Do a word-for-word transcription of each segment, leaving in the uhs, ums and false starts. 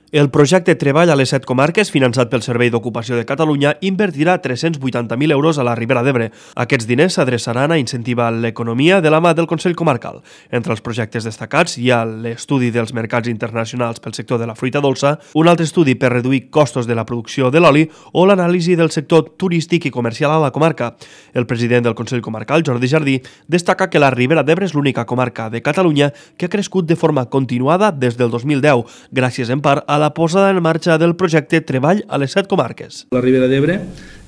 El projecte Treball a les set comarques, finançat pel Servei d'Ocupació de Catalunya, invertirà tres-cents vuitanta mil euros a la Ribera d'Ebre. Aquests diners s'adreçaran a incentivar l'economia de la mà del Consell Comarcal. Entre els projectes destacats hi ha l'estudi dels mercats internacionals pel sector de la fruita dolça, un altre estudi per reduir costos de la producció de l'oli o l'anàlisi del sector turístic i comercial a la comarca. El president del Consell Comarcal, Jordi Jardí, destaca que la Ribera d'Ebre és l'única comarca de Catalunya que ha crescut de forma continuada des del dos mil deu, gràcies en part a la posada en marxa del projecte Treball a les set comarques. La Ribera d'Ebre,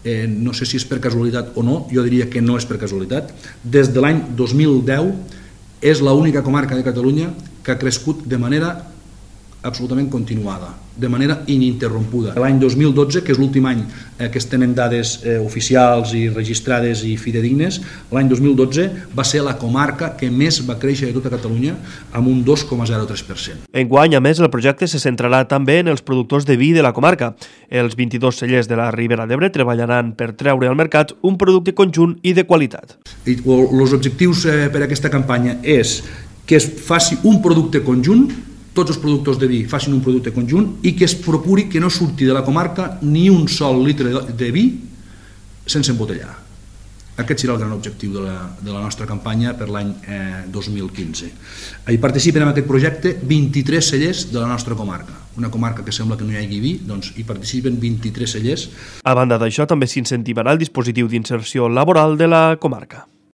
eh, no sé si és per casualitat o no, jo diria que no és per casualitat, des de l'any dos mil deu és l'única comarca de Catalunya que ha crescut de manera absolutament continuada, de manera ininterrompuda. L'any dos mil dotze, que és l'últim any eh, que es tenen dades eh, oficials i registrades i fidedignes, l'any dos mil dotze va ser la comarca que més va créixer de tota Catalunya amb un dos coma zero tres per cent. Enguany, a més, el projecte se centrarà també en els productors de vi de la comarca. Els vint-i-dos cellers de la Ribera d'Ebre treballaran per treure al mercat un producte conjunt i de qualitat. I els objectius eh, per a aquesta campanya és que es faci un producte conjunt, tots els productors de vi facin un producte conjunt i que es procuri que no surti de la comarca ni un sol litre de vi sense embotellar. Aquest serà el gran objectiu de la, de la nostra campanya per l'any eh, dos mil quinze. Hi participen en aquest projecte vint-i-tres cellers de la nostra comarca. Una comarca que sembla que no hi hagi vi, doncs hi participen vint-i-tres cellers. A banda d'això, també s'incentivarà el dispositiu d'inserció laboral de la comarca.